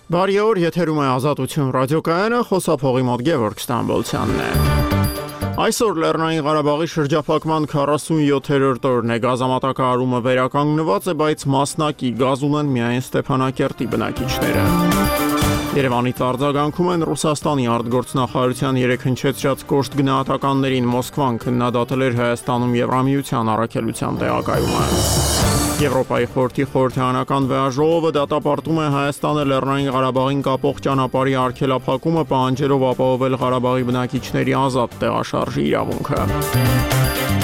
Բարի օր, եթերում է Ազատություն ռադիոկայանը, խոսափողի մոտ Գևորգ Ստամբոլցյանն է։ Այսօր Լեռնային Ղարաբաղի շրջափակման 47-րդ օրն է, գազամատակարարումը վերականգնված է, բայց մասնակի գազ ունեն միայն Ստեփանակերտի բնակիչները։ Երևանից արձագանքում են Ռուսաստանի արտգործնախարարության 3 հնչեցրած կոշտ գնահատականներին, Մոսկվան քննադատել էր Հայաստանում Եվրամիության առաքելության տեղակայումը։ Եվրոպայի խորհրդի խորհրդարանական վեաժողովը դատապարտում է Հայաստանը Լեռնային Ղարաբաղին կապող ճանապարհի արգելափակումը, պահանջելով ապահովել Ղարաբաղի բնակիչների ազատ տեղաշարժի իրավունքը։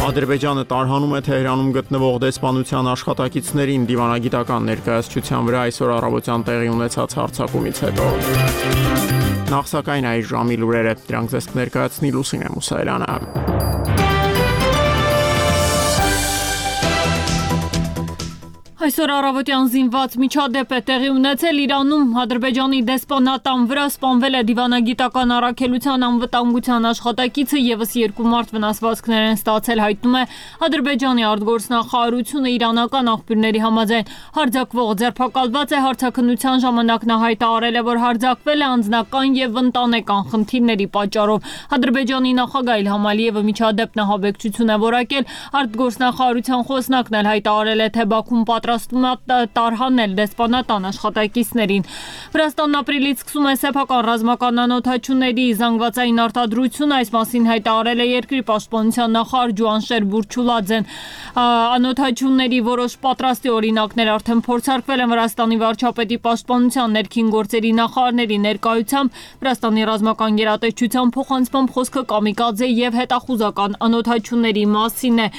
Ադրբեջանը տարհանում է Թեհրանում գտնվող դեսպանության աշխատակիցներին դիվանագիտական ներկայացության վրա այսօր առավոտյան տեղի ունեցած հարձակումից հետո։ Նախ սակայն այս ժամի լուրերը, դրանք ձեզ կներկայացնի Լուսինե Մուսայելյանը։ Այսօր առավոտյան զինված միջադեպ է տեղի ունեցել Իրանում, Ադրբեջանի դեսպանատան վրա սպանվել է դիվանագիտական առաքելության անվտանգության աշխատակիցը, ևս 2 մարդ վնասվածքներ են ստացել, հայտնում է Ադրբեջանի արտգործնախարարությունը իրանական աղբյուրների համաձայն։ Հարձակվող ձերբակալված է, հարցաքննության ժամանակ նա հայտարարել է, որ հարձակվել է անձնական եւ ընտանեկան խնդիրների պատճառով։ Ադրբեջանի նախագահ Իլհամ Ալիևը միջադեպն ահաբեկչություն է որակել, արտգործնախարարության խոսնակն էլ հայտարարել է, թե Բաքուն պատրաստվում է տարհանել դեսպանատան աշխատակիցներին։ Վրաստանն ապրիլից սկսում է սեփական ռազմական անօթաչուների զանգվածային արտադրությունը, այս մասին հայտարարել է երկրի պաշտպանության նախարար Ջուանշեր Բուրչուլաձեն։ Անօթաչուների որոշ պատրաստի օրինակներ արդեն փորձարկվել են Վրաստանի վարչապետի պաշտպանության ներքին գործերի նախարարների ներկայությամբ։ Վրաստանի ռազմական գերատեսչության փոխանցմամբ խոսքը կամիկադզե եւ հետախուզական անօթաչուների մասին է։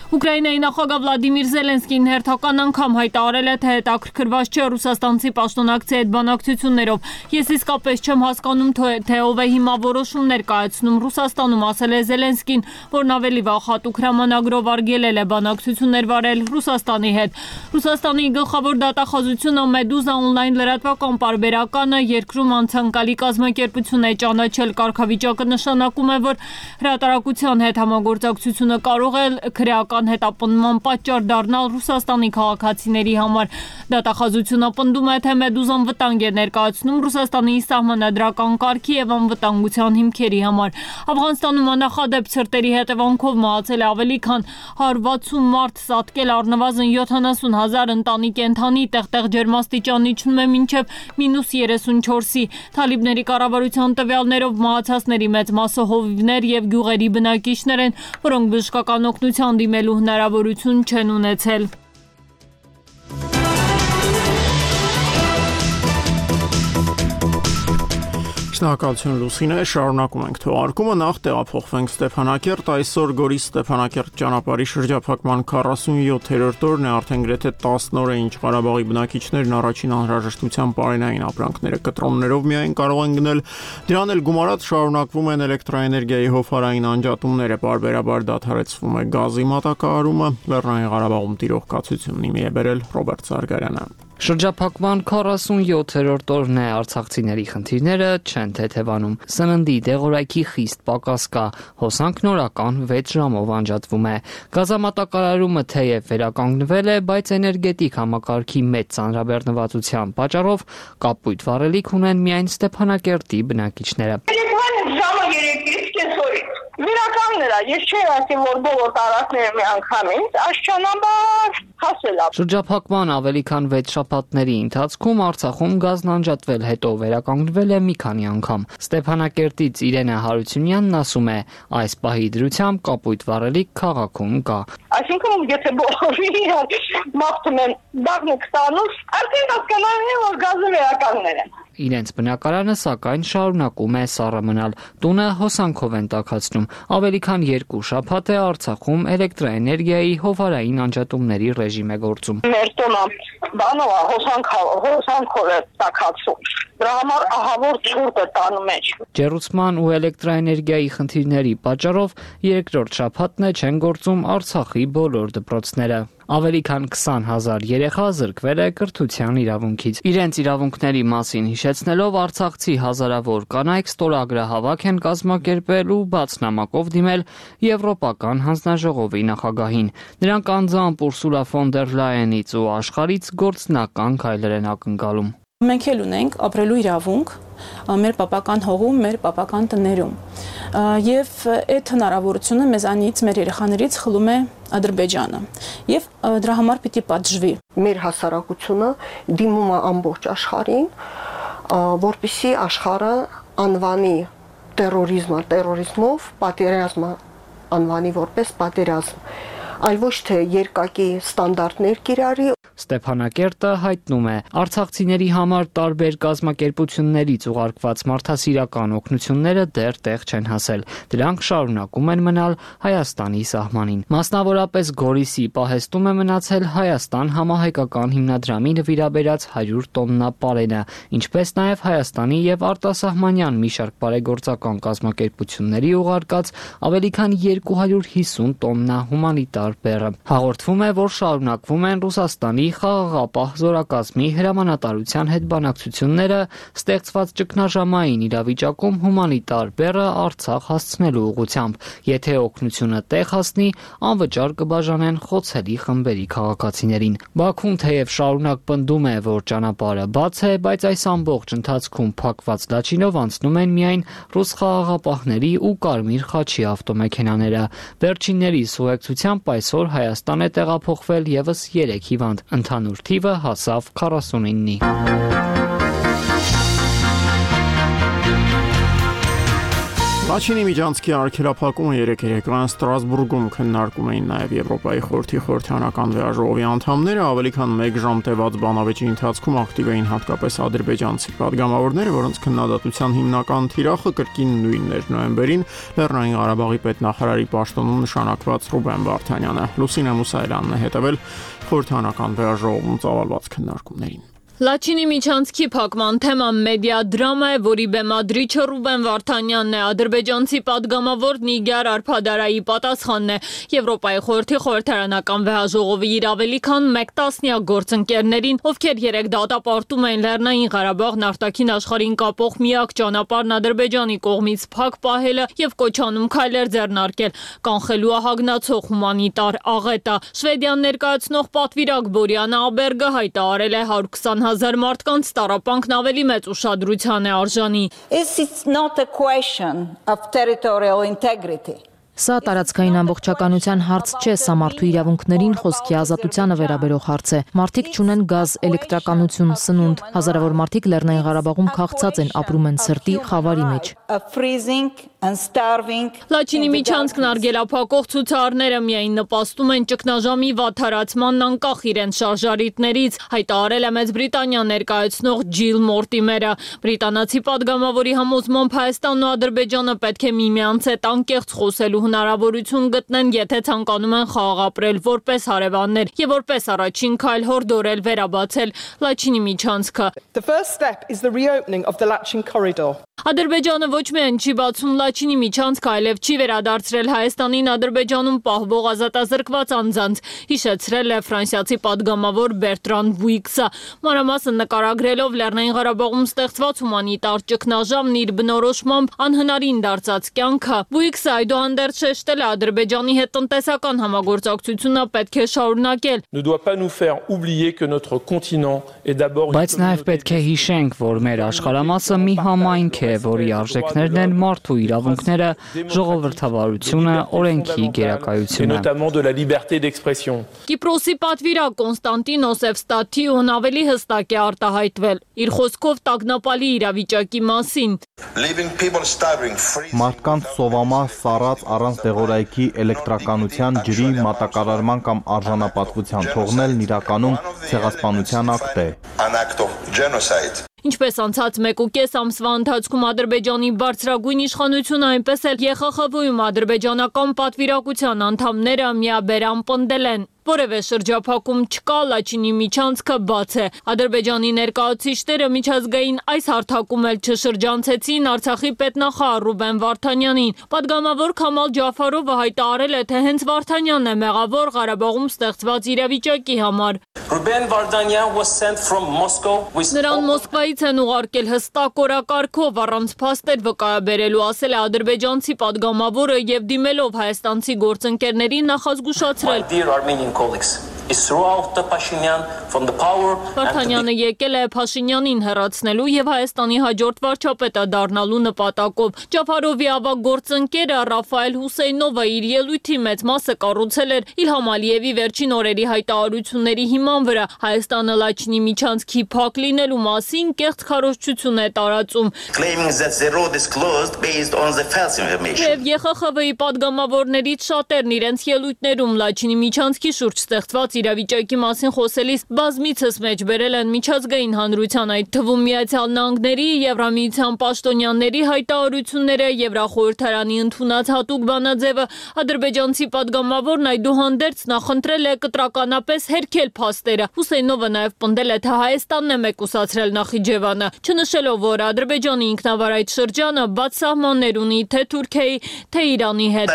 Ուկրաինայի նախագահ Վլադիմիր Զելենսկին հերթական անգամ հայտարարել է, թե հետաքրքրված չէ ռուսաստանցի պաշտոնակցի հետ բանակցություններով։ Ես իսկապես չեմ հասկանում, թե ով է հիմա որոշումներ կայացնում Ռուսաստանում, ասել է Զելենսկին, որն ավելի վաղ հատուկ հրամանագրով արգելել է բանակցություններ վարել Ռուսաստանի հետ։ Ռուսաստանի գլխավոր դատախազությունը Մեդուզա օնլայն լրատվական պարբերականը երկրում անցանկալի կազմակերպություն է ճանաչել։ Կարգավիճակը նշանակում է, որ հրատարակության հետ համագործակցությունը կարող է քրեական հետապնդման պատճառ դառնալ Ռուսաստանի քաղաքացիների համար։ Դատախազությունը պնդում է, թե Մեդուզան վտանգ է ներկայացնում Ռուսաստանի սահմանադրական կարգի եւ անվտանգության հիմքերի համար։ Աֆղանստանում աննախադեպ ցրտերի հետևանքով մահացել է ավելի քան 160 մարդ, սատկել առնվազն 70,000 ընտանիք, կենդանի, տեղտեղ ջերմաստիճան իջնում է մինչև -34-ի։ Թալիբների կառավարության տվյալներով մահացածների մեծ մասը հովիվներ եւ գյուղերի բնակիչներ են, որոնք բժշկական օգնության դիմելու հնարավորություն չեն ունեցել։ Շնորհակալություն Լուսինե, շարունակում ենք թողարկումը, նախ տեղափոխվենք Ստեփանակերտ, այսօր Գորիս Ստեփանակերտ ճանապարհի շրջափակման 47-րդ օրն է, արդեն գրեթե 10 օր է, ինչ Ղարաբաղի բնակիչներն առաջին անհրաժեշտության պարենային ապրանքները կտրոններով միայն կարող են գնել, դրան էլ գումարած շարունակվում են էլեկտրաէներգիայի հովհարային անջատումները, պարբերաբար դադարեցվում է գազի մատակարարումը, Լեռնային Ղարաբաղում տիրող կացությունն իմի է բերել Ռոբերտ Սարգարյանը։ Շրջափակման 47-րդ օրն է, արցախցիների խնդիրները չեն թեթևանում։ Սննդի դեղորայքի խիստ պակաս կա, հոսանքն օրական 6 ժամով անջատվում է։ Գազամատակարարումը թեև վերականգնվել է, բայց էներգետիկ համակարգի մեծ ծանրաբեռնվածության պատճառով կապույտ վառելիք ունեն միայն Ստեփանակերտի բնակիչները։ Վերականգնել է, ես չէի ասում, որ բոլոր տարածքները միանգամից, աշճանաբար հասել է։ Շրջափակման ավելի քան 6 շաբաթների ընթացքում Արցախում գազն անջատվել, հետո վերականգնվել է մի քանի անգամ։ Ստեփանակերտից Իրենա Հարությունյանն ասում է, այս պահի դրությամբ կապույտ վառելիք քաղաքում կա։ Այսինքն, եթե բոլորին մաղթում են բաղնիկ ստանուց, արդեն հասկանալի է, որ գազը վերականգնել են։ Իրենց բնակարանը սակայն շարունակում է սառը մնալ, տունը հոսանքով են տաքացնում։ Ավելի քան 2 շաբաթ է Արցախում էլեկտրաէներգիայի հովհարային անջատումների ռեժիմ է գործում։ Մեր տունը բանով հոսանքով է տաքացում։ Դրա համար ահավոր ցուրտ է տանում մեջ։ Ջեռուցման ու էլեկտրաէներգիայի խնդիրների պատճառով երկրորդ շաբաթն է չեն գործում Արցախի բոլոր դպրոցները։ Ավելի քան 20,000 երեխա զրկվել է կրթության իրավունքից։ Իրենց իրավունքների մասին հիշեցնելով արցախցի հազարավոր կանայք ստորագրահավաք են կազմակերպել ու բաց նամակով դիմել Եվրոպական հանձնաժողովի նախագահին։ Նրանք անձամբ Ուրսուլա ֆոն դեր Լայենից ու աշխարհից գործնական քայլեր են ակնկալում։ Մենք էլ ունենք ապրելու իրավունք մեր պապական հողում, մեր պապական տներում։ Եվ այդ հնարավորությունը մեզանից, մեր երեխաներից խլում է Ադրբեջանը։ Եվ դրա համար պիտի պատժվի։ Մեր հասարակությունը դիմում է ամբողջ աշխարհին, որպեսզի աշխարհը անվանի տերորիզմով, պատերազմը անվանի որպես պատերազմ, այլ ոչ թե երկակի ստանդարտներ կիրառի։ Ստեփանակերտը հայտնում է, արցախցիների համար տարբեր կազմակերպություններից ուղարկված մարդասիրական օգնությունները դեռ տեղ չեն հասել։ Դրանք շարունակում են մնալ Հայաստանի սահմանին։ Մասնավորապես Գորիսի պահեստում է մնացել Հայաստան համահայկական հիմնադրամի նվիրաբերած 100 տոննա պարենը, ինչպես նաև Հայաստանի եւ արտասահմանյան մի շարք բարեգործական կազմակերպությունների ուղարկած ավելի քան 250 տոննա հումանիտար բեռը։ Հաղորդվում է, որ շարունակվում են Ռուսաստանի խաղաղապահ զորակազմի հրամանատարության հետ բանակցությունները ստեղծված ճգնաժամային իրավիճակում հումանիտար բեռը Արցախ հասցնելու ուղղությամբ։ Եթե օգնությունը տեղ հասնի, անվճար կբաժանեն խոցելի խմբերի քաղաքացիներին։ Բաքուն թեև շարունակ պնդում է, որ ճանապարհը բաց է, բայց այս ամբողջ ընթացքում փակված լաչինով անցնում են միայն ռուս խաղաղապահների ու Կարմիր խաչի ավտոմեքենաները։ Վերջինների ուղեկցությամբ այսօր Հայաստան է տեղափոխվել եւս 3 հիվանդ։ Ընդհանուր թիվը հասավ 49-ի։ Լաչինի միջանցքի արգելափակումը երեկերեկվան Ստրասբուրգում քննարկում էին նաև Եվրոպայի խորհրդի խորհրդանական վեաժողովի անդամները, ավելի քան 1 ժամ տևած բանավեճի ընթացքում ակտիվ էին հատկապես ադրբեջանցի պատգամավորները, որոնց քննադատության հիմնական թիրախը կրկին նույնն էր նոյեմբերին Լեռնային Ղարաբաղի պետնախարարի պաշտոնում նշանակված Ռուբեն Վարդանյանը։ Լուսինե Մուսայելյանն է հետևել խորհրդանական վեաժողովում ծավալված քննարկումներին։ Լաչինի միջանցքի փակման թեման մեդիա դրամա է, որի բեմադրիչը Ռուբեն Վարդանյանն է, ադրբեջանցի պատգամավոր Նիգար Արփադարայի պատասխանն է։ Եվրոպայի խորհրդի խորհրդարանական վեաժողովի իր ավելի քան 1 տասնյակ գործընկերներին, ովքեր 3 դատապարտում էին Լեռնային Ղարաբաղն արտաքին աշխարհին կապող միակ ճանապարհն Ադրբեջանի կողմից փակ պահելը եւ կոչանում քայլեր ձեռնարկել, կանխելու ահագնացող հումանիտար աղետը։ Շվեդիան ներկայացնող պատվիրակ Բորիանա Աբերգը հայտարարել է 120,000 մարդկանց տառապանքն ավելի մեծ ուշադրության է արժանի։ It's not a question of territorial integrity. Սա տարածքային ամբողջականության հարց չէ, սա մարդու իրավունքներին, խոսքի ազատությանը վերաբերող հարց է։ Մարդիկ չունեն գազ, էլեկտրականություն, սնունդ, հազարավոր մարդիկ Լեռնային Ղարաբաղում քաղցած են, ապրում են սրտի խավարի մեջ։ Լաչինի միջանցքն արգելափակող ցուցարները միայն նպաստում են ճգնաժամի վատթարացմանն անկախ իրենց շարժարիտներից, հայտարարել է Մեծ Բրիտանիա ներկայացնող Ջիլ Մորտիմերը։ Բրիտանացի պատգամավորի համոզմամբ Հայաստանն ու Ադրբեջանը պետք է միմյանց հետ անկեղծ խոսելու հնարավորություն գտնեն, եթե ցանկանում են խաղաղ ապրել որպես հարևաններ եւ որպես առաջին քայլ հորդորել վերաբացել Լաչինի միջանցքը։ Ադրբեջանը ոչ միայն չի բացում Լաչինի միջանցքը, այլև չի վերադարձրել Հայաստանին Ադրբեջանում պահվող ազատազրկված անձանց, հիշեցրել է ֆրանսիացի պատգամավոր Բերտրան Բուիքսը։ Մանրամասն նկարագրելով Լեռնային Ղարաբաղում ստեղծված հումանիտար ճգնաժամն իր բնորոշմամբ անհնարին դարձած կյանքը, Բուիքսը այդուհանդերձ շեշտել է Ադրբեջանի հետ տնտեսական համագործակցությունը պետք է շարունակել։ Բայց նաև պետք է հիշենք, որ մեր աշխարհամասը մի համայնք է, որի արժեքներն են մարդու իրավունքները, ժողովրդավարությունը, օրենքի գերակայությունը։ Կիպրոսի պատվիրակ Կոնստանտինոս Էվստաթիոն ավելի հստակ է արտահայտվել իր խոսքով տագնապալի իրավիճակի մասին։ Մարդկանց սովամահ սառած առանց դեղորայքի էլեկտրականության, ջրի, մատակարարման կամ արժանապատվության թողնելն իրականում ցեղասպանության ակտ է։ Ինչպես անցած 1.5 ամսվա ընթացքում Ադրբեջանի բարձրագույն իշխանությունը, այնպես էլ ԵԽԽՎ-ում ադրբեջանական պատվիրակության անդամները միաբերան պնդել են։ Որևէ շրջափակում չկա, Լաչինի միջանցքը բաց է։ Ադրբեջանի ներկայացուցիչները միջազգային այս հարթակում էլ չշրջանցեցին Արցախի պետնախարար Ռուբեն Վարդանյանին։ Պատգամավոր Քամալ Ջաֆարովը հայտարարել է, թե հենց Վարդանյանն է մեղավոր Ղարաբաղում ստեղծված իրավիճակի համար։ Նրան Մոսկվայից են ուղարկել հստակ օրակարգով, առանց փաստեր վկայաբերելու, ասել է ադրբեջանցի պատգամավորը եւ դիմելով հայաստանցի գործընկերներին նախազգուշացրել։ Վարդանյանը եկել է Փաշինյանին հեռացնելու եւ Հայաստանի հաջորդ վարչապետը դառնալու նպատակով։ Ջաֆարովի ավագ գործընկերը Ռաֆայել Հուսեյնովը իր ելույթի մեծ մասը կառուցել էր Իլհամ Ալիևի վերջին օրերի հայտարարությունների հիման վրա։ Հայաստանը Լաչինի միջանցքի փակ լինելու մասին կեղծ քարոզչություն է տարածում։ Եվ ԵԽԽՎ-ի падգամավորներից շատերն իրենց ելույթներում Լաչինի միջանցքի շուրջ ստեղծված իրավիճակի մասին խոսելիս բազմիցս մեջ բերել են միջազգային հանրության, այդ թվում Միացյալ Նահանգների, Եվրամիության պաշտոնյաների հայտարարությունները, Եվրախորհրդարանի ընդունած հատուկ բանաձևը։ Ադրբեջանցի падգամավորն այդուհանդերձ նախընտրել է կտրականապես հերքել փաստերը։ Հուսեյնովը նաև պնդել է, թե Հայաստանն է մեկուսացրել Նախիջևանը, չնշելով, որ Ադրբեջանի ինքնավար այդ շրջանը բաց սահմաններ ունի թե Թուրքիայի, թե Իրանի հետ։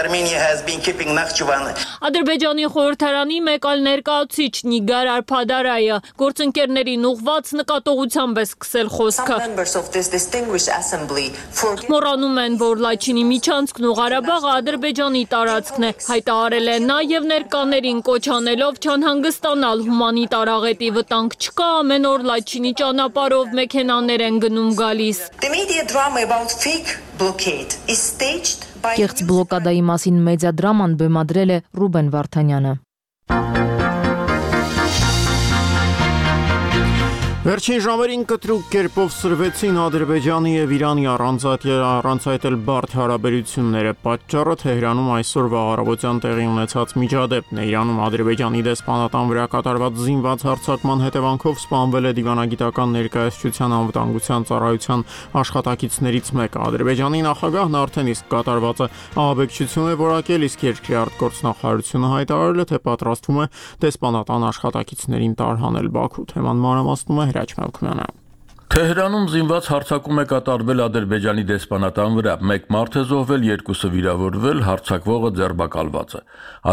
Ադրբեջանի խորհրդարանի մեկ այլ ներկայացուցիչ Նիգար Արփադարայը գործընկերներին ուղղված նկատողությամբ է սկսել խոսքը։ Մոռանում են, որ Լաչինի միջանցքն ու Ղարաբաղը Ադրբեջանի տարածքն է, հայտարարել է նա եւ ներկաներին կոչ անելով չանհանգստանալ, հումանիտար աղետի վտանգ չկա, ամեն օր Լաչինի ճանապարհով մեքենաներ են գնում գալիս։ Կեղծ բլոկադայի մասին մեդիադրաման բեմադրել է Ռուբեն Վարդանյանը։ Վերջին ժամերին կտրուկ կերպով սրվեցին Ադրբեջանի եւ Իրանի առանցայտել բարդ հարաբերությունները։ Պատճառը Թեհրանում այսօրվա առավոտյան տեղի ունեցած միջադեպն է։ Իրանում Ադրբեջանի դեսպանատան վրա կատարված զինված հարձակման հետևանքով սպանվել է դիվանագիտական ներկայացության անվտանգության ծառայության աշխատակիցներից մեկը։ Ադրբեջանի նախագահն արդեն իսկ կատարվածը ահաբեկչություն է որակել, իսկ երկրի արտգործնախարարությունը հայտարարել է, թե պատրաստվում է դեսպանատան աշխատակիցներին տարհանել Բաքու։ Թեման մանրամասնում է Հրաչ Մալքոյանը։ Թեհրանում զինված հարձակում է կատարվել Ադրբեջանի դեսպանատան վրա։ Մեկ մարդ է զոհվել, երկուսը վիրավորվել, հարձակվողը ձերբակալված է։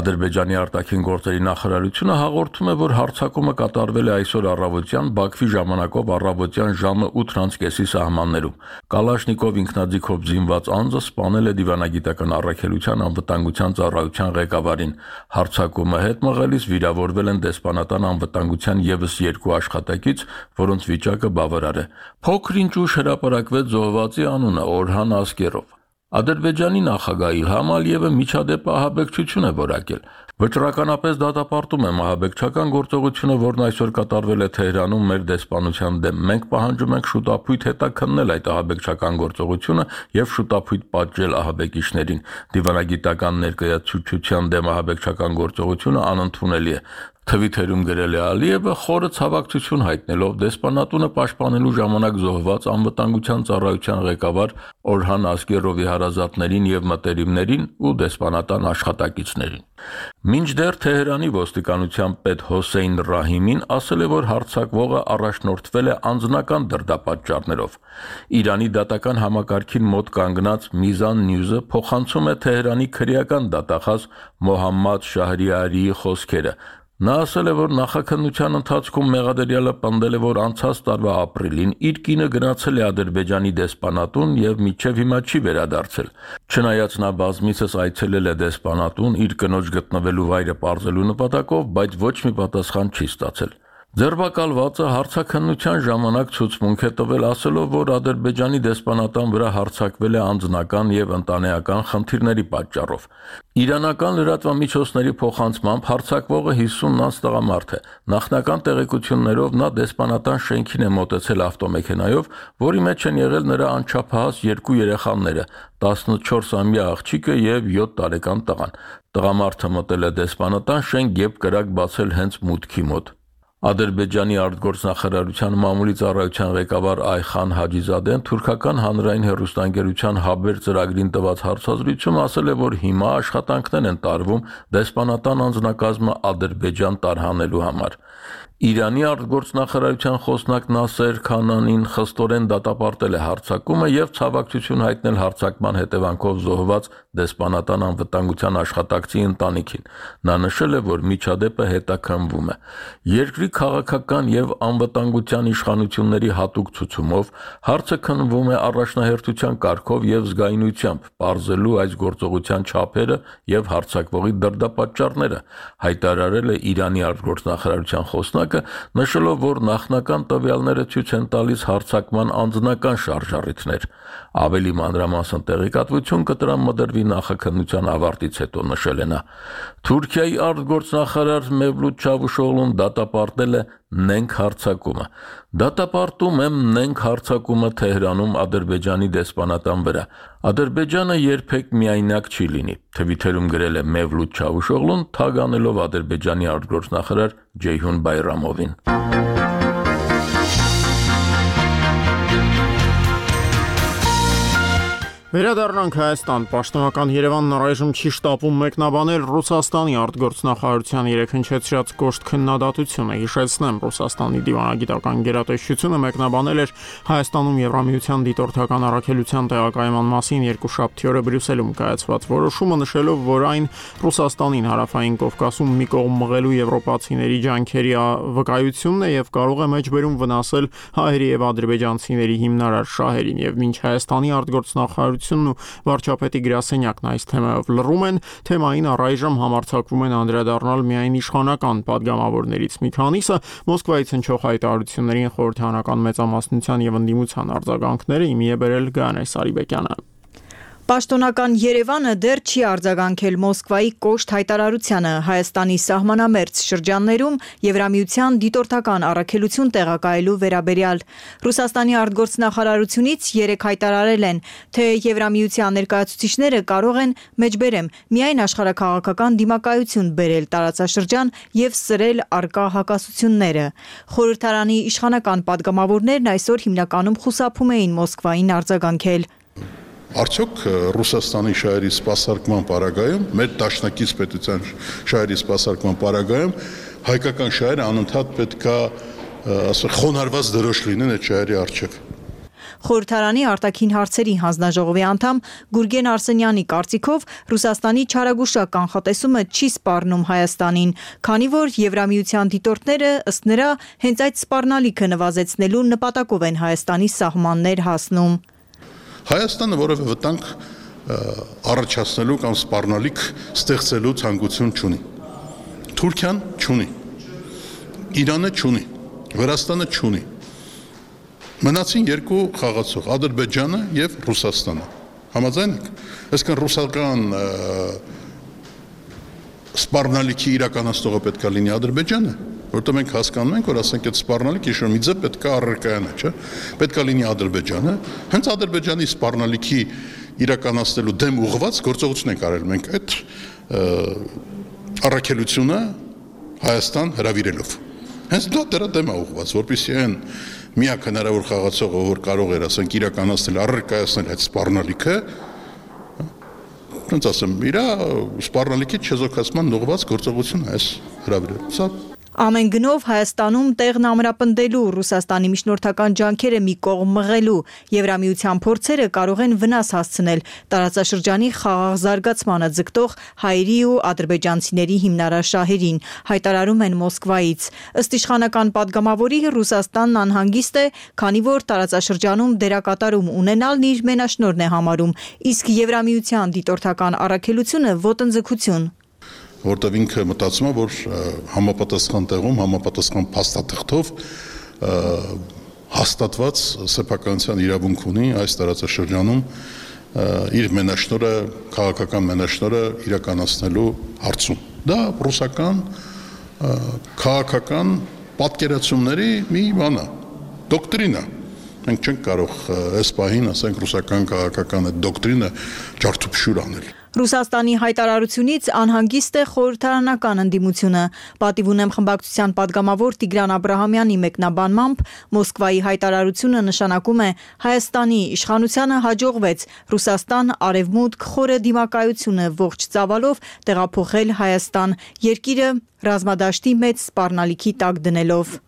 Ադրբեջանի արտաքին գործերի նախարարությունը հաղորդում է, որ հարձակումը կատարվել է այսօր առավոտյան Բաքվի ժամանակով առավոտյան ժամը 8:30-ի սահմաններում։ Կալաշնիկով ինքնաձիգով զինված անձը սպանել է դիվանագիտական առաքելության անվտանգության ծառայության ղեկավարին։ Հարձակումը հետ մղելիս վիրավորվել են դեսպանատան անվտանգության ևս 2 աշխատակից, որոնց վիճակը բավարար է։ Փոքր-ինչ ուշ հրապարակվեց զոհվածի անունը Օրհան Ասկերով։ Ադրբեջանի նախագահ Իլհամ Ալիևը միջադեպը ահաբեկչություն է որակել։ Վճռականապես դատապարտում եմ ահաբեկչական գործողությունը, որն այսօր կատարվել է Թեհրանում մեր դեսպանության դեմ։ Մենք պահանջում ենք շուտապույտ հետաքննել այդ ահաբեկչական գործողությունը եւ շուտապույտ պատժել ահաբեկիչներին։ Դիվանագիտական ներկայացուցչության դեմ ահաբեկչական գործողությունը անընդունելի է։ Թվիթերում գրել է Ալիևը, խորը ցավակցություն հայտնելով դեսպանատունը պաշտպանելու ժամանակ զոհված անվտանգության ծառայության ղեկավար Օրհան Ասկերովի հարազատներին եւ մտերիմներին ու դեսպանատան աշխատակիցներին։ Մինչդեռ Թեհրանի ոստիկանության պետ Հոսեյն Ռահիմին ասել է, որ հարձակվողը առաջնորդվել է անձնական դրդապատճառներով։ Իրանի դատական համակարգին մոտ կանգնած Միզան Նյուզը փոխանցում է Թեհրանի քրեական դատախազ Մոհամմադ Շահրիարիի խոսքերը։ Նա ասել է, որ նախաքննության ընթացքում մեղադերյալը պնդել է, որ անցած տարվա ապրիլին իր կինը գնացել է Ադրբեջանի դեսպանատուն եւ մինչեւ հիմա չի վերադարձել։ Չնայած նա բազմիցս այցելել է դեսպանատուն իր կնոջ գտնվելու վայրը պարզելու նպատակով, բայց ոչ մի պատասխան չի ստացել։ Ձերբակալվածը հարցաքննության ժամանակ ցուցմունք է տվել, ասելով, որ Ադրբեջանի դեսպանատան վրա հարձակվել է անձնական եւ ընտանեկան խնդիրների պատճառով։ Իրանական լրատվամիջոցների փոխանցմամբ հարձակվողը 50-ից տղամարդ է։ Նախնական տեղեկություններով նա դեսպանատան շենքին է մոտեցել ավտոմեքենայով, որի մեջ են եղել նրա անչափահաս 2 երեխաները՝ 14-ամյա աղջիկը եւ 7 տարեկան տղան։ Տղամարդը մտել է դեսպանատան շենք եւ կրակ բացել հենց մուտքի մոտ։ Ադրբեջանի արտգործնախարարության մամուլի ծառայության ղեկավար Այխան Հաջիզադեն թուրքական հանրային հեռուստաընկերության Հաբեր ծրագրին տված հարցազրույցում ասել է, որ հիմա աշխատանքներ են տարվում դեսպանատան անձնակազմը Ադրբեջան տարհանելու համար։ Իրանի արտգործնախարարության խոսնակ Նասեր Քանանին խստորեն դատապարտել է հարձակումը եւ ցավակցություն հայտնել հարձակման հետևանքով զոհված դեսպանատան անվտանգության աշխատակցի ընտանիքին։ Նա նշել է, որ միջադեպը հետաքննվում է։ Երկրի քաղաքական եւ անվտանգության իշխանությունների հատուկ ցուցումով հարցը քննվում է առաջնահերթության կարգով եւ զգայունությամբ, պարզելու այս գործողության չափերը եւ հարձակվողի դրդապատճառները, հայտարարել է Իրանի արտգործնախարարության խոսնակ, նշելով, որ նախնական տվյալները ցույց են տալիս հարձակման անձնական շարժառիթներ։ Ավելի մանրամասն տեղեկատվություն կտրան մդրվի նախաքննության ավարտից հետո, նշել է նա։ Թուրքիայի արտգործնախարար Մևլութ Չավուշօղլուն դատապարտել է նենք հարձակումը։ Դատապարտում եմ նենք հարձակումը Թեհրանում Ադրբեջանի դեսպանատան վրա։ Ադրբեջանը երբեք միայնակ չի լինի, թվիթերում գրել է Մևլութ Չավուշօղլուն, թագ անելով Ադրբեջանի արտգործնախարար Ջեյհուն Բայրամովին։ Վերադառնանք Հայաստան, պաշտոնական Երևանն առայժմ չի շտապում մեկնաբանել Ռուսաստանի արտգործնախարարության երեքնչեցրած կոշտ քննադատությունը։ Հիշեցնեմ, Ռուսաստանի դիվանագիտական գերատեսչությունը մեկնաբանել էր Հայաստանում Եվրամիության դիտորդական առաքելության տեղակայման մասին երկուշաբթի օրը Բրյուսելում կայացված որոշումը, նշելով, որ այն Ռուսաստանին հարավային Կովկասում մի կողմ մղելու եվրոպացիների ջանքերի վկայությունն է եւ կարող է մեջբերում վնասել հայերի եւ ադրբեջանցիների հիմնարար շահերին, եւ մինչ Հայաստանի արտգործնախարարությունն ու վարչապետի գրասենյակն այս թեմայով լռում են, թեմային առայժմ համարձակվում են անդրադառնալ միայն իշխանական падգամավորներից մի քանիսը, Մոսկվայից հնչող հայտարարություններին խորհրդարանական մեծամասնության եւ ընդդիմության արձագանքները իմի է բերել Գայանե Սարիբեկյանը։ Պաշտոնական Երևանը դեռ չի արձագանքել Մոսկվայի կոշտ հայտարարությանը Հայաստանի սահմանամերձ շրջաններում Եվրամիության դիտորդական առաքելություն տեղակայելու վերաբերյալ։ Ռուսաստանի արտգործնախարարությունից երեք հայտարարել են, թե Եվրամիության ներկայացուցիչները կարող են մեջբերեմ միայն աշխարհաքաղաքական դիմակայություն բերել տարածաշրջան եւ սրել արկա հակասությունները։ Խորհրդարանի իշխանական падգամավորներն այսօր հիմնականում խուսափում էին Մոսկվային արձագանքել։ Արդյոք Ռուսաստանի շահերի սպասարկման պարագայում, մեր դաշնակից պետության շահերի սպասարկման պարագայում հայկական շահերը անընդհատ պետքա խոնարհված դրոշ լինեն այդ շահերի առջև։ Խորհրդարանի արտաքին հարցերի հանձնաժողովի անդամ Գուրգեն Արսենյանի կարծիքով Ռուսաստանի չարագուշակ կանխատեսումը չի սպառնում Հայաստանին, քանի որ Եվրամիության դիտորդները ըստ նրա հենց այդ սպառնալիքը նվազեցնելու նպատակով են Հայաստանի սահմաններ հասնում։ Հայաստանը որևէ վտանգ առաջացնելու կամ սպառնալիք ստեղծելու ցանկություն չունի։ Թուրքիան չունի։ Իրանը չունի։ Վրաստանը չունի։ Մնացին երկու խաղացող՝ Ադրբեջանը եւ Ռուսաստանը։ Համաձայն եք։ Այսինքն ռուսական սպառնալիքի իրականացնողը պետքա լինի Ադրբեջանը, որտեղ մենք հասկանում ենք, որ ասենք այդ սպառնալիքը ինչ-որ մի ձև պետքա առարկայանա, չէ՞։ Պետքա լինի Ադրբեջանը, հենց Ադրբեջանի սպառնալիքի իրականացնելու դեմ ուղղված գործողություն ենք արել մենք այդ առաքելությունը Հայաստան հրավիրելով։ Հենց դա դրա դեմ է ուղղված, որպեսզի այն միակ հնարավոր խաղացողը, որ կարող էր, ասենք, իրականացնել, առարկայացնել այդ սպառնալիքը, ոնց ասեմ, իր սպառնալիքի չեզոքացման ուղղված գործողություն այս հրավիրել։ Սա Ամեն գնով Հայաստանում տեղն ամրապնդելու Ռուսաստանի միջնորդական ջանքերը մի կողմ մղելու Եվրամիության փորձերը կարող են վնաս հասցնել տարածաշրջանի խաղաղ զարգացմանը ձգտող հայերի ու ադրբեջանցիների հիմնարար շահերին, հայտարարում են Մոսկվայից։ Ըստ իշխանական падգամավորի Ռուսաստանն անհանգիստ է, քանի որ տարածաշրջանում դերակատարում ունենալն իր մենաշնորհն է համարում, իսկ Եվրամիության դիտորդական առաքելությունը ոտնձգություն։ Որտեղ ինքը մտածում է, որ համապատասխան տեղում, համապատասխան փաստաթղթով հաստատված սեփականության իրավունք ունի այս տարածաշրջանում իր մենաշնորհը, քաղաքական մենաշնորհը իրականացնելու հարցում։ Դա ռուսական քաղաքական պատկերացումների մի բան է, դոկտրին է։ Մենք չենք կարող այս պահին, ասենք, ռուսական քաղաքական այդ դոկտրինը ջարդուփշուր անել։ Ռուսաստանի հայտարարությունից անհանգիստ է խորհրդարանական ընդդիմությունը։ Պատիվ ունեմ խմբակցության падգամավոր Տիգրան Աբրահամյանի մեկնաբանմամբ Մոսկվայի հայտարարությունը նշանակում է Հայաստանի իշխանությանը հաջողվեց Ռուսաստան արևմուտք խորը դիմակայությունը ողջ ծավալով տեղափոխել Հայաստան, երկիրը ռազմադաշտի մեծ սպառնալիքի տակ դնելով։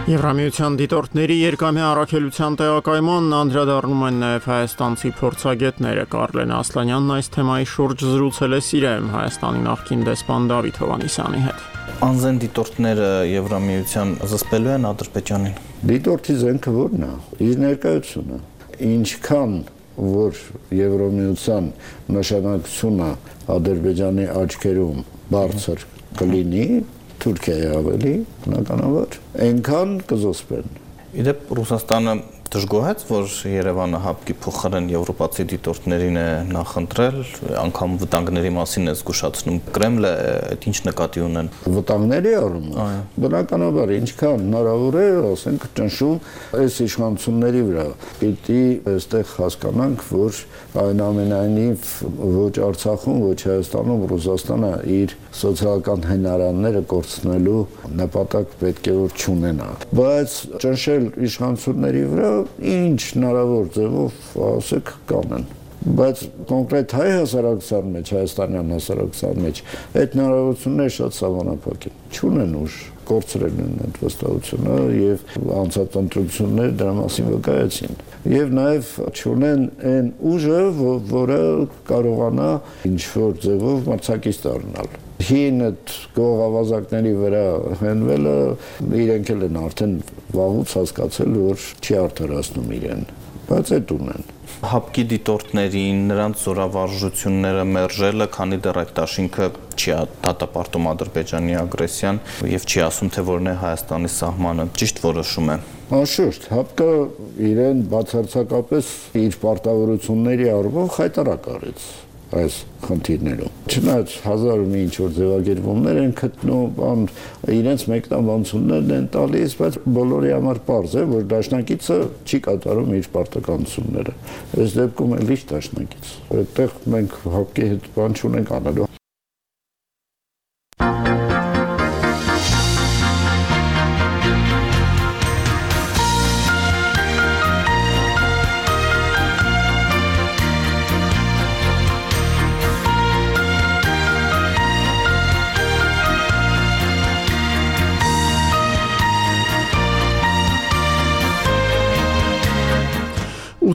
Եվրամիության դիտորդների երկամյա առաքելության տեղակայմանն անդրադառնում են նաև հայաստանցի փորձագետները։ Կարլեն Ասլանյանն այս թեմայի շուրջ զրուցել է Սիրիայում Հայաստանի նախկին դեսպան Դավիթ Հովհաննիսյանի հետ։ Անձեն դիտորդները Եվրամիության զսպելու են Ադրբեջանին։ Դիտորդի զենքը ո՞րն է։ Իր ներկայությունը։ Ինչքան որ Եվրամիության նշանակությունը Ադրբեջանի աչքերում բարձր կլինի, Թուրքիայի ավելի, բնականաբար, այնքան կզոսպեն։ Իդեպ Ռուսաստանը դժգոհեց, որ Երևանը հապկի փոխարեն եվրոպացի դիտորդներին է նախընտրել, անգամ վտանգների մասին է զգուշացնում։ Կրեմլը այդ ինչ նկատի ունեն։ Վտանգների առումով, բնականաբար, ինչքան հնարավոր է, ասենք, ճնշում այս իշխանությունների վրա։ Պիտի այստեղ հասկանանք, որ այնուամենայնիվ ոչ Արցախում, ոչ Հայաստանում Ռուսաստանը իր սոցիալական հնարանները կորցնելու նպատակ պետք է որ չունենա։ Բայց ճնշել իշխանությունների վրա ինչ հնարավոր ձևով ասեք կանեն, բայց կոնկրետ հայ հասարակության մեջ, հայաստանյան հասարակության մեջ այդ հնարավորությունները շատ սահմանափակ են, չունեն ուժ, կորցրել են այդ վստահությունը եւ անցած ընտրությունները դրա մասին վկայեցին եւ նաեւ չունեն այն ուժը, որը կարողանա ինչ-որ ձևով մրցակից դառնալ։ Հին այդ գողավազակների վրա հենվելը իրենք էլ են արդեն վաղուց հասկացել, որ չի արդարացնում իրեն, բայց այդ ունեն։ Հապկի դիտորդներին, նրանց զորավարժությունները մերժելը, քանի դեռ այդ դաշինքը չի դատապարտում Ադրբեջանի ագրեսիան եւ չի ասում, թե որն է Հայաստանի սահմանը, ճիշտ որոշում է։ Անշուշտ, հապկը իրեն բացարձակապես իր պարտավորությունների առումով խայտարակ արեց այս խնդիրներում։ Չնայած հազար մի ինչ-որ ձևակերպումներ են գտնում, իրենց մեկնաբանություններն են տալիս, բայց բոլորի համար պարզ է, որ դաշնակիցը չի կատարում իր պարտականությունները։ Այս դեպքում էլ ինչ դաշնակից։ Այդտեղ մենք հապկի հետ բան չունենք անելու։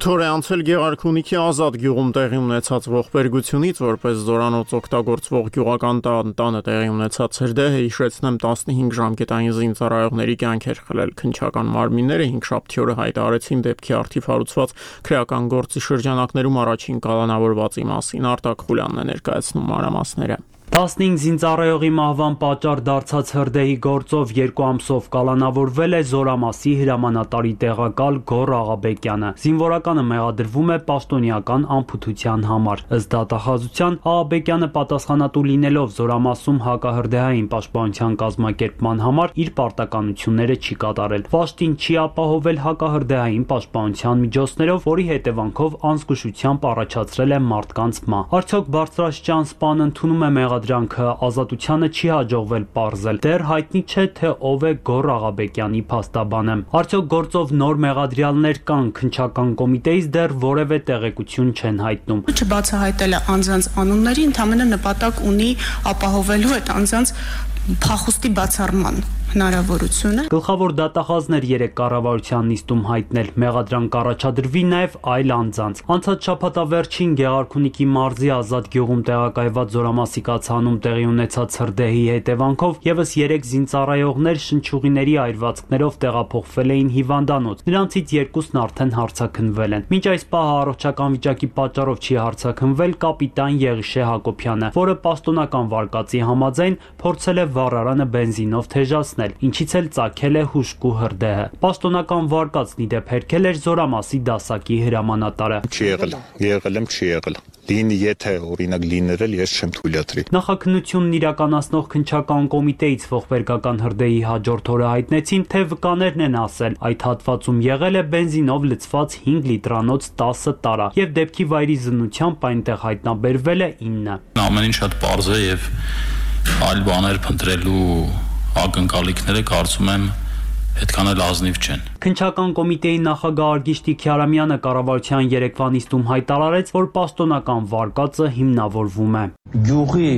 Ութ օր է անցել Գեղարքունիքի Ազատ գյուղում տեղի ունեցած ողբերգությունից, որպես զորանոց օգտագործվող գյուղական տանը տեղի ունեցած հրդեհը հիշեցնեմ 15 ժամկետային զինծառայողների կյանքեր խլել քնչական մարմինները 5-շաբթի օրը հայտարարեցին դեպքի արդիվ հարուցված քրեական գործի շրջանակներում առաջին կալանավորվածի մասին Արտակ Խուլյանն է ներկայացնում մանրամասները։ 15 զինծառայողի մահվան պատճառ դարձած հրդեհի գործով 2 ամսով կալանավորվել է Զորամասի հրամանատարի տեղակալ Գոռ Աղաբեկյանը։ Զինվորականը մեղադրվում է պաշտոնյական անփութության համար։ Ըստ դատախազության Աղաբեկյանը պատասխանատու լինելով Զորամասում հակահրդեհային պաշտպանության կազմակերպման համար իր պարտականությունները չի կատարել։ Վաշտին չի ապահովել հակահրդեհային պաշտպանության միջոցներով, որի հետևանքով անզգուշությամբ առաջացրել է մարդկանց մահ։ Արդյոք բարձրաստիճան սպան ընդունում է մեղադրանքը, ազատությանը չի հաջողվել պարզել։ Դեռ հայտնի չէ, թե ով է Գոռ Աղաբեկյանի փաստաբանը։ Արդյոք գործով նոր մեղադրյալներ կան, քնչական կոմիտեից դեռ որևէ տեղեկություն չեն հայտնում։ Չբացահայտելը անձանց անունների ընդհանրապես նպատակ ունի ապահովելու այդ անձանց փախուստի բացառման հնարավորությունը։ Գլխավոր դատախազներ 3 կառավարության նիստում հայտնել մեղադրանք առաջադրվի նաև այլ անձանց։ Անցած շաբաթավերջին Գեղարքունիքի մարզի Ազատ գյուղում տեղակայված Զորամասի կացանում տեղի ունեցած հրդեհի հետևանքով եւս 3 զինծառայողներ շնչուղիների այրվածքներով տեղափոխվել էին հիվանդանոց։ Նրանցից 2-ն արդեն հարցաքննվել են։ Մինչ այս պահը առողջական վիճակի պատճառով չի հարցաքննվել կապիտան Եղիշե Հակոբյանը, որը պաշտոնական վարկածի համաձայն փորձել է վառարանը բենզինով թեժացնել, ինչից էլ ծագել է հուժկու հրդեհը։ Պաշտոնական վարկածն ի դեպ հերքել էր Զորամասի դասակի հրամանատարը։ Չի եղել եմ, չի եղել։ Լինի, եթե օրինակ լինել, ես չեմ թույլատրի։ Նախաքննությունն իրականացնող քննչական կոմիտեից ողբերգական հրդեհի հաջորդ օրը հայտնեցին, թե վկաներն են ասել, այդ հատվածում եղել է բենզինով լցված 5 լիտրանոց 10 տարա, եւ դեպքի վայրի զննությամբ այնտեղ հայտնաբերվել է 9։ Ամեն ինչ շատ պարզ է եւ այլ բաներ փնտրելու ակնկալիքները կարծում եմ այդքան էլ ազնիվ չեն։ Քննչական կոմիտեի նախագահ Արգիշտի Քյարամյանը կառավարության երեկվա նիստում հայտարարեց, որ պաշտոնական վարկածը հիմնավորվում է։ Գյուղի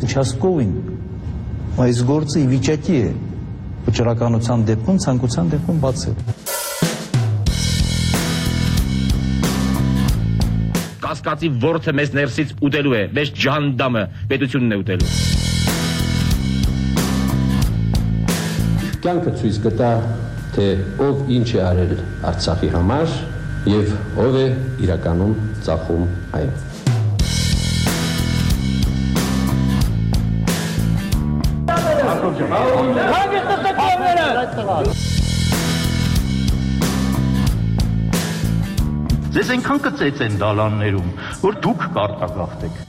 участковին այս գործը ի վիճակի է վճռականության դեպքում, ցանկության դեպքում բացել։ Կասկածի ворթը մեզ ներսից ուտելու է, մեզ ջանդամը պետությունն է ուտելու։ Կյանքը ցույց կտա, թե ով ինչ է արել Արցախի համար եւ ով է իրականում ծախում այն։ Ձեզ այնքան կծեց են դալաններում, որ դուք կարտագաղթեք։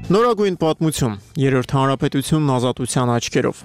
Նորագույն պատմություն, երրորդ հանրապետությունն ազատության աչքերով։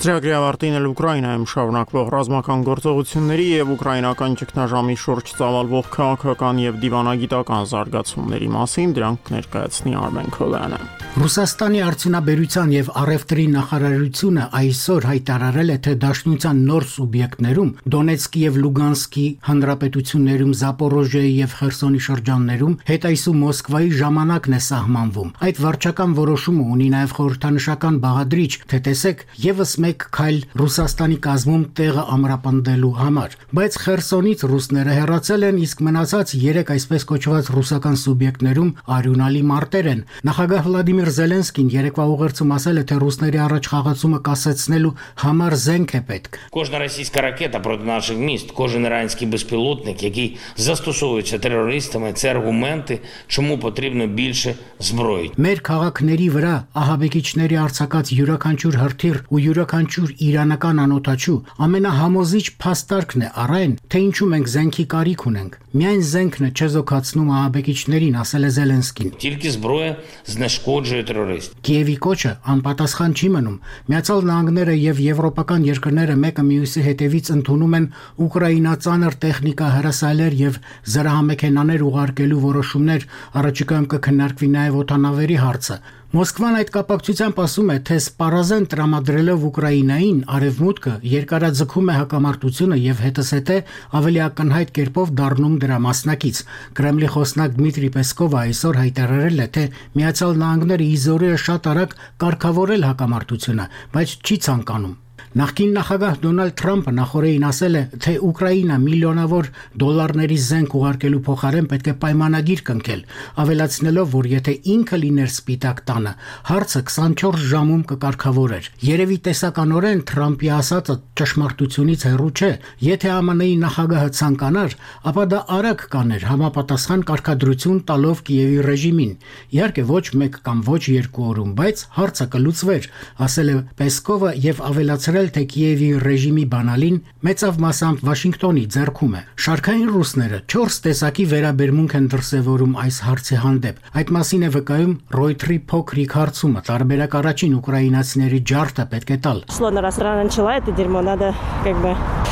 Ծրագրի ավարտին էլ Ուկրաինայում շարունակվող ռազմական գործողությունների եւ ուկրաինական ճգնաժամի շուրջ ծավալվող քաղաքական եւ դիվանագիտական զարգացումների մասին դրանք ներկայացնի Արմեն Քոլյանը։ Ռուսաստանի արդյունաբերության եւ առևտրի նախարարությունը այսօր հայտարարել է, թե Դաշնության նոր սուբյեկտներում Դոնեցկի եւ Լուգանսկի հանրապետություններում, Զապորոժիայի եւ Խերսոնի շրջաններում հետայսու Մոսկվայի ժամանակն է սահմանվում։ Այդ վարչական որոշումը ունի նաեւ խորհրդանշական բաղադրիչ, թե տեսեք, եւս մեկ քայլ Ռուսաստանի կազմում տեղը ամրապնդելու համար։ Բայց Խերսոնից ռուսները հեռացել են, իսկ մնացած 3 այսպես կոչված ռուսական սուբյեկտներում արյունալի մարտեր են։ Նախագահ Վլադիմիր Զելենսկին երեկվա ուղերձում ասել է, թե ռուսների առաջ խաղացումը կասեցնելու համար զենք է պետք։ Кожна російська ракета проти наших міст, кожен іранський безпілотник, який застосовується терористами, це аргументи, чому потрібно більше зброї։ Մեր քաղաքների վրա ահաբեկիչների արձակած յուրաքանչյուր հրթիռ ու յուրաքանչյուր իրանական անօթաչու ամենահամոզիչ փաստարկն է առայն, թե ինչու մենք զենքի կարիք ունենք։ Միայն զենքն է չեզոքացնում ահաբեկիչներին, ասել է Զելենսկին։ Тільки зброя знешкоджує терористів։ Կիևի կոչը անպատասխան չի մնում։ Միացյալ Նահանգները եւ եվրոպական երկրները մեկը մյուսի հետևից ընդունում են ուկրաինացաներ տեխնիկա, հրասայլեր եւ զրահամեքենաներ ուղարկելու որոշումներ, առաջիկայում կքննարկվի նաեւ օդանավերի հարցը։ Մոսկվան այդ կապակցությամբ ասում է, թե սպառազեն տրամադրելով Ուկրաինային արևմուտքը երկարաձգում է հակամարտությունը եւ հետսետե ավելի ակնհայտ կերպով դառնում դրա մասնակից։ Կրեմլի խոսնակ Դմիտրի Պեսկովը այսօր հայտարարել է, թե Միացյալ Նահանգները իզորը շատ արագ կարգավորել հակամարտությունը, բայց չի ցանկանում։ Նախկին նախագահ Դոնալդ Թրամփը նախորդին ասել է, թե Ուկրաինա միլիոնավոր դոլարների զենք ուղարկելու փոխարեն պետք է պայմանագիր կնքել, ավելացնելով, որ եթե ինքը լիներ Սպիտակ տանը, հարցը 24 ժամում կկարգավորեր։ Երևի տեսականորեն Թրամփի ասածը ճշմարտությունից հեռու չէ։ Եթե ԱՄՆ-ի նախագահը ցանկանար, ապա դա արագ կաներ համապատասխան կարգադրություն տալով Կիևի ռեժիմին։ Իհարկե ոչ մեկ կամ ոչ երկու օրում, բայց հարցը կլուծվեր, ասել է Պեսկովը եւ ավելացրել, թե Կիևի ռեժիմի բանալին մեծավ մասամբ Վաշինգտոնի ձեռքում է։ Շարքային ռուսները 4 տեսակի վերաբերմունք են դրսևորում այս հարցի հանդեպ։ Այդ մասին է վկայում Ռոյթերի փոքրիկ հարցումը։ Տարբերակ առաջին ուկրաինացիների ջարդը պետք է տալ։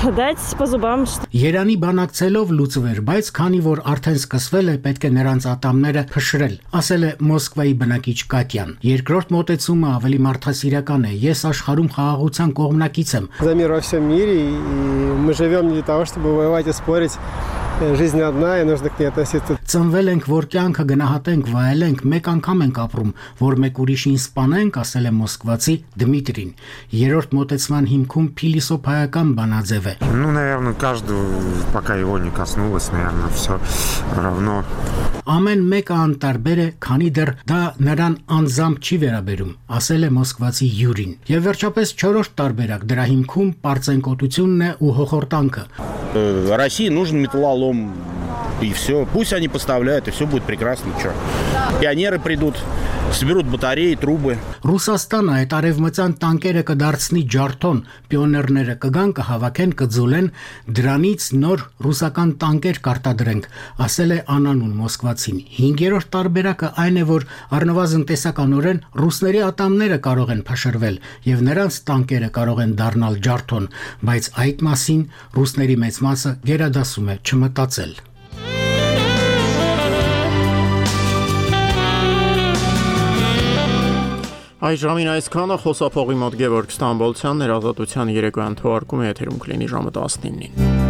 Երանի բանակցելով լուծվեր, բայց քանի որ արդեն սկսվել է, պետք է նրանց ատամները փշրել, ասել է Մոսկվայի բնակիչ Կատյան։ Երկրորդ մոտեցումը ավելի մարդասիրական է։ Ես աշխարհում խաղաղության կողմնակից եմ։ За мир во всем мире, и мы живем не для того, чтобы воевать и спорить. Жизнь одна, и нужно к ней относиться. Ծնվել ենք, որ կյանքը գնահատենք, վայելենք, մեկ անգամ ենք ապրում, որ մեկ ուրիշին սպանենք, ասել է մոսկվացի Դմիտրին։ Երրորդ մոտեցման հիմքում փիլիսոփայական բանաձև է։ Ну, наверное, каждого, пока его не коснулось, наверное, все равно. Ամեն մեկը անտարբեր է, քանի դեռ դա նրան անձամբ չի վերաբերում, ասել է մոսկվացի Յուրին։ Եվ վերջապես 4-րդ տարբերակ, դրա հիմքում պարծենկոտությունն է ու հոխորտանքը։ России нужен металлолом, дом, и все. Пусть они поставляют, и все будет прекрасно. Что? Пионеры придут, соберут батареи, трубы. Ռուսաստանը այդ արևմտյան տանկերը կդարձնի ջարդոն, պիոներները կգան, կհավաքեն, կձուլեն, դրանից նոր ռուսական տանկեր կարտադրենք, ասել է Անանուն Մոսկվացին։ 5-րդ տարբերակը այն է, որ առնվազն տեսականորեն ռուսների ատամները կարող են փշրվել եւ նրանց տանկերը կարող են դառնալ ջարդոն, բայց այդ մասին ռուսների մեծ մասը գերադասում է չմտածել։ Այս ժամին այսքանը խոսափողի մոտ Գևորգ Ստամբոլցյանն էր Ազատության երեկոյան թողարկումը եթերում կլինի ժամը 19-ին։